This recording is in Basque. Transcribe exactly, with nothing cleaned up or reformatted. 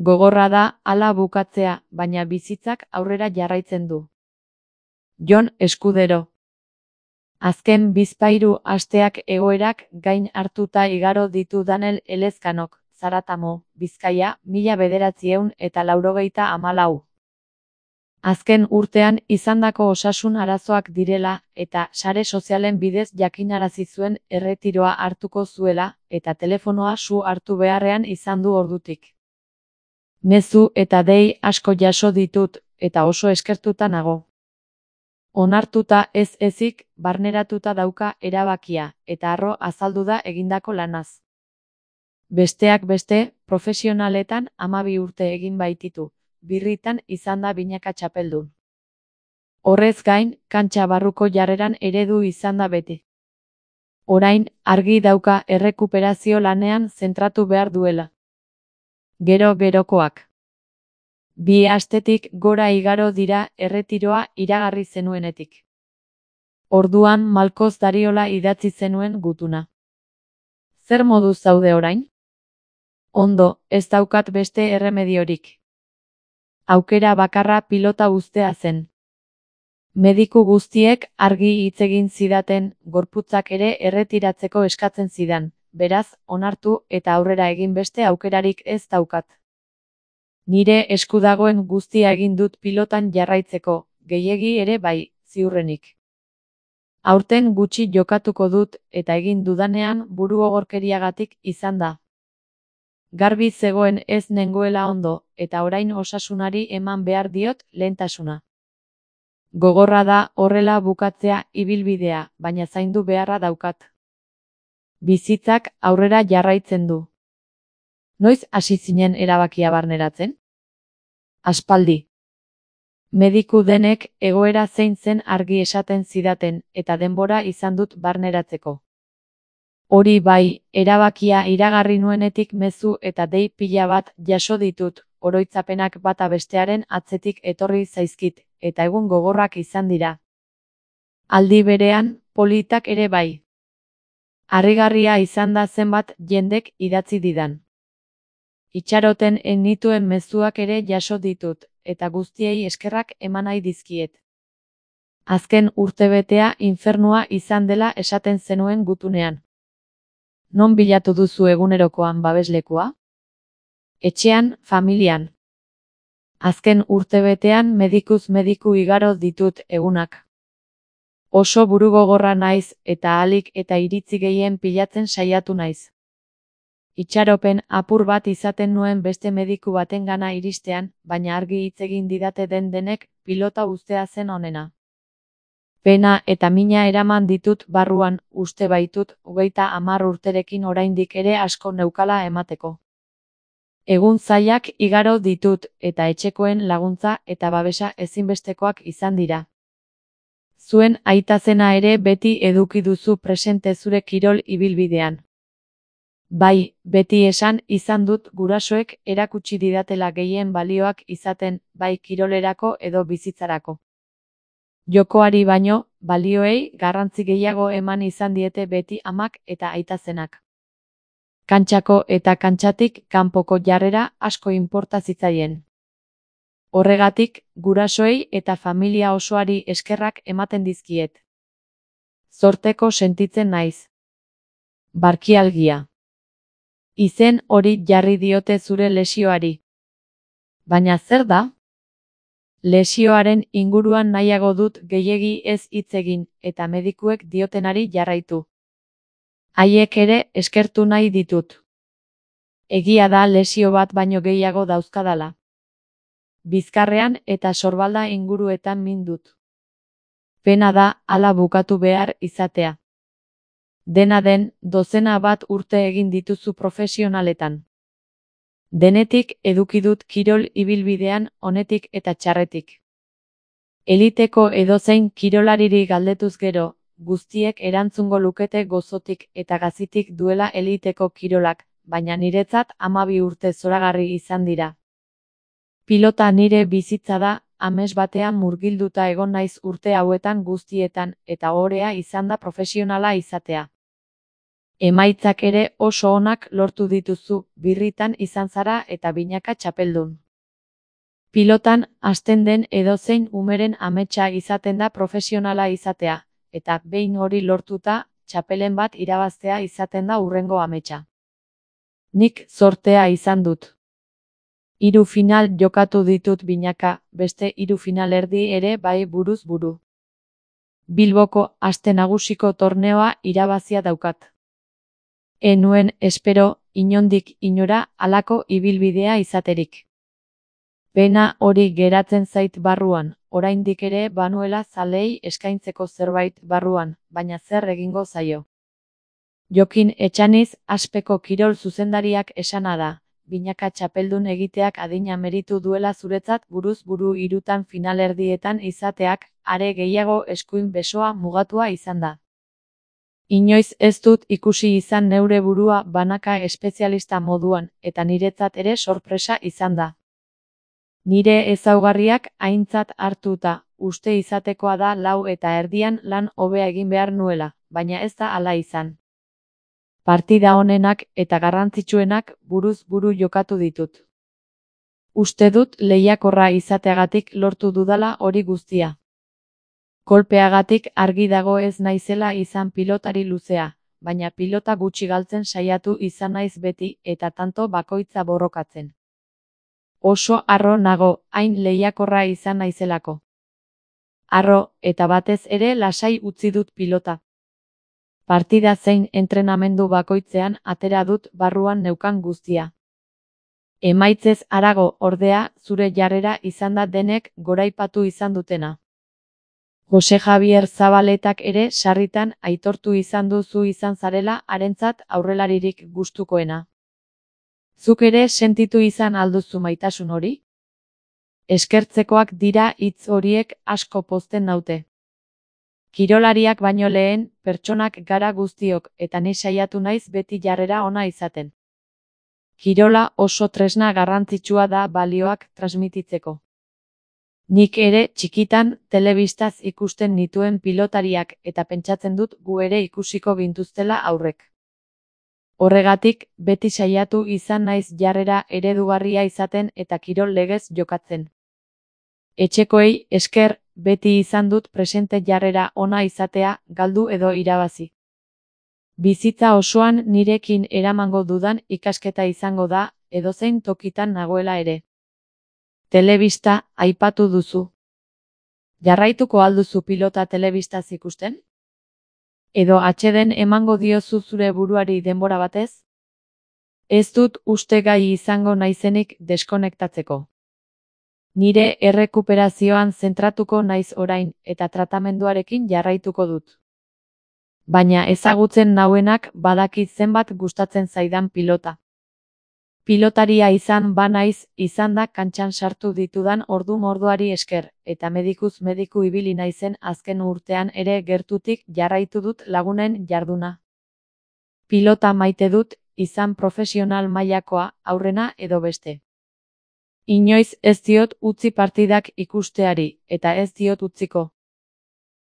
Gogorra da hala bukatzea, baina bizitzak aurrera jarraitzen du. Jon Eskudero. Azken bizpahiru asteak egoerak gain hartuta igaro ditu Danel Elezkanok, Zaratamo, Bizkaia, mila bederatziehun eta laurogeita hamalau. Azken urtean izandako osasun arazoak direla eta sare sozialen bidez jakinarazi zuen erretiroa hartuko zuela eta telefonoa su hartu beharrean izan du ordutik. Mezu eta dei asko jaso ditut eta oso eskertuta nago. Onartuta ez ezik, barneratuta dauka erabakia eta harro azaldu da egindako lanaz. Besteak beste, profesionaletan hamabi urte egin baititu. Birritan izan da binaka txapeldun. Horrez gain, kantxa barruko jarreran eredu izan da beti. Orain, argi dauka errekuperazio lanean zentratu behar duela. Gero gerokoak. Bi astetik gora igaro dira erretiroa iragarri zenuenetik. Orduan Malkoz Dariola idatzi zenuen gutuna. Zer moduz zaude orain? Ondo, ez daukat beste erremediorik. Aukera bakarra pilota uztea zen. Mediku guztiek argi hitz egin zidaten, gorputzak ere erretiratzeko eskatzen zidan, beraz, onartu eta aurrera egin beste aukerarik ez daukat. Nire esku dagoen guztia egin dut pilotan jarraitzeko, gehiegi ere bai, ziurrenik. Aurten gutxi jokatuko dut eta egin dudanean burugogorkeriagatik izan da. Garbi zegoen ez nengoela ondo, eta orain osasunari eman behar diot lehentasuna. Gogorra da horrela bukatzea ibilbidea, baina zaindu beharra daukat. Bizitzak aurrera jarraitzen du. Noiz hasi zinen erabakia barneratzen? Aspaldi. Mediku denek egoera zein zen argi esaten zidaten, eta denbora izan dut barneratzeko. Hori bai, erabakia iragarri nuenetik mezu eta dei pila bat jaso ditut, oroitzapenak bata bestearen atzetik etorri zaizkit, eta egun gogorrak izan dira. Aldi berean, politak ere bai. Harrigarria izan da zenbat jendek idatzi didan. Itxaroten enituen mezuak ere jaso ditut, eta guztiei eskerrak eman nahi dizkiet. Azken urtebetea infernua izan dela esaten zenuen gutunean. Non bilatu duzu egunerokoan babeslekua? Etxean, familian. Azken urtebetean medikuz mediku igaro ditut egunak. Oso burugogorra naiz eta ahalik eta iritzi gehien pilatzen saiatu naiz. Itxaropen apur bat izaten nuen beste mediku batengana iristean, baina argi hitz egin didate den denek pilota uztea zen onena. Pena eta mina eraman ditut barruan, uste baitut, hogeita hamar urterekin oraindik ere asko neukala emateko. Egun zailak igaro ditut, eta etxekoen laguntza eta babesa ezinbestekoak izan dira. Zuen aitazena ere beti eduki duzu presente zure kirol ibilbidean. Bai, beti esan izan dut gurasoek erakutsi didatela gehien balioak izaten, bai kirolerako edo bizitzarako. Jokoari baino, balioei garrantzi gehiago eman izan diete beti amak eta aitazenak. Kantxako eta kantxatik kanpoko jarrera asko inporta zitzaien. Horregatik, gurasoei eta familia osoari eskerrak ematen dizkiet. Zorteko sentitzen naiz. Barkialgia. Izen hori jarri diote zure lesioari. Baina zer da? Lesioaren inguruan nahiago dut gehiegi ez hitz egin, eta medikuek diotenari jarraitu. Haiek ere eskertu nahi ditut. Egia da lesio bat baino gehiago dauzkadala. Bizkarrean eta sorbalda inguruetan min dut. Pena da hala bukatu behar izatea. Dena den, dozena bat urte egin dituzu profesionaletan. Denetik eduki dut kirol ibilbidean onetik eta txarretik. Eliteko edozein kirolariri galdetuz gero, guztiek erantzungo lukete gozotik eta gazitik duela eliteko kirolak, baina niretzat hamabi urte zoragarri izan dira. Pilota nire bizitza da, ames batean murgilduta egon naiz urte hauetan guztietan, eta ohorea izan da profesionala izatea. Emaitzak ere oso onak lortu dituzu, birritan izan zara eta binaka txapeldun. Pilotan hasten den edozein umeren ametsa izaten da profesionala izatea, eta behin hori lortuta, txapelen bat irabaztea izaten da hurrengo ametsa. Nik zortea izan dut. Hiru final jokatu ditut binaka, beste hiru finalerdi ere bai buruz buru. Bilboko aste nagusiko torneoa irabazia daukat. Enuen espero, inondik inora, halako ibilbidea izaterik. Pena hori geratzen zait barruan, oraindik ere banuela zaleei eskaintzeko zerbait barruan, baina zer egingo zaio. Jokin Etxaniz Aspeko kirol zuzendariak esana da, binaka txapeldun egiteak adina meritu duela zuretzat buruz buru hirutan finalerdietan izateak, are gehiago eskuin besoa mugatua izan da. Inoiz ez dut ikusi izan neure burua banaka espezialista moduan, eta niretzat ere sorpresa izan da. Nire ezaugarriak aintzat hartuta, uste izatekoa da lau eta erdian lan hobea egin behar nuela, baina ez da hala izan. Partida honenak eta garrantzitsuenak buruz buru jokatu ditut. Uste dut lehiakorra izateagatik lortu dudala hori guztia. Kolpeagatik argi dago ez naizela izan pilotari luzea, baina pilota gutxi galtzen saiatu izan naiz beti eta tanto bakoitza borrokatzen. Oso harro nago, hain lehiakorra izan naizelako. Harro, eta batez ere lasai utzi dut pilota. Partida zein entrenamendu bakoitzean atera dut barruan neukan guztia. Emaitzez harago, ordea, zure jarrera izan da denek goraipatu izan dutena. Jose Javier Zabaletak ere sarritan aitortu izan duzu izan zarela harentzat aurrelaririk gustukoena. Zuk ere sentitu izan alduzu maitasun hori? Eskertzekoak dira hitz horiek asko pozten naute. Kirolariak baino lehen, pertsonak gara guztiok eta ni saiatu naiz beti jarrera ona izaten. Kirola oso tresna garrantzitsua da balioak transmititzeko. Nik ere txikitan telebistaz ikusten nituen pilotariak eta pentsatzen dut gu ere ikusiko gintuztela aurrek. Horregatik, beti saiatu izan naiz jarrera eredugarria izaten eta kirol legez jokatzen. Etxekoei esker, beti izan dut presente jarrera ona izatea, galdu edo irabazi. Bizitza osoan nirekin eramango dudan ikasketa izango da, edozein tokitan nagoela ere. Telebista aipatu duzu. Jarraituko alduzu pilota telebistaz ikusten? Edo atseden emango diozu zure buruari denbora batez? Ez dut uste gai izango naizenik deskonektatzeko. Nire errekuperazioan zentratuko naiz orain eta tratamenduarekin jarraituko dut. Baina ezagutzen nauenak badakit zenbat gustatzen zaidan pilota. Pilotaria izan ba naiz, izan da kantxan sartu ditudan ordu mordoari esker, eta medikuz mediku ibili naizen azken urtean ere gertutik jarraitu dut lagunen jarduna. Pilota maite dut, izan profesional mailakoa, aurrena edo beste. Inoiz ez diot utzi partidak ikusteari, eta ez diot utziko.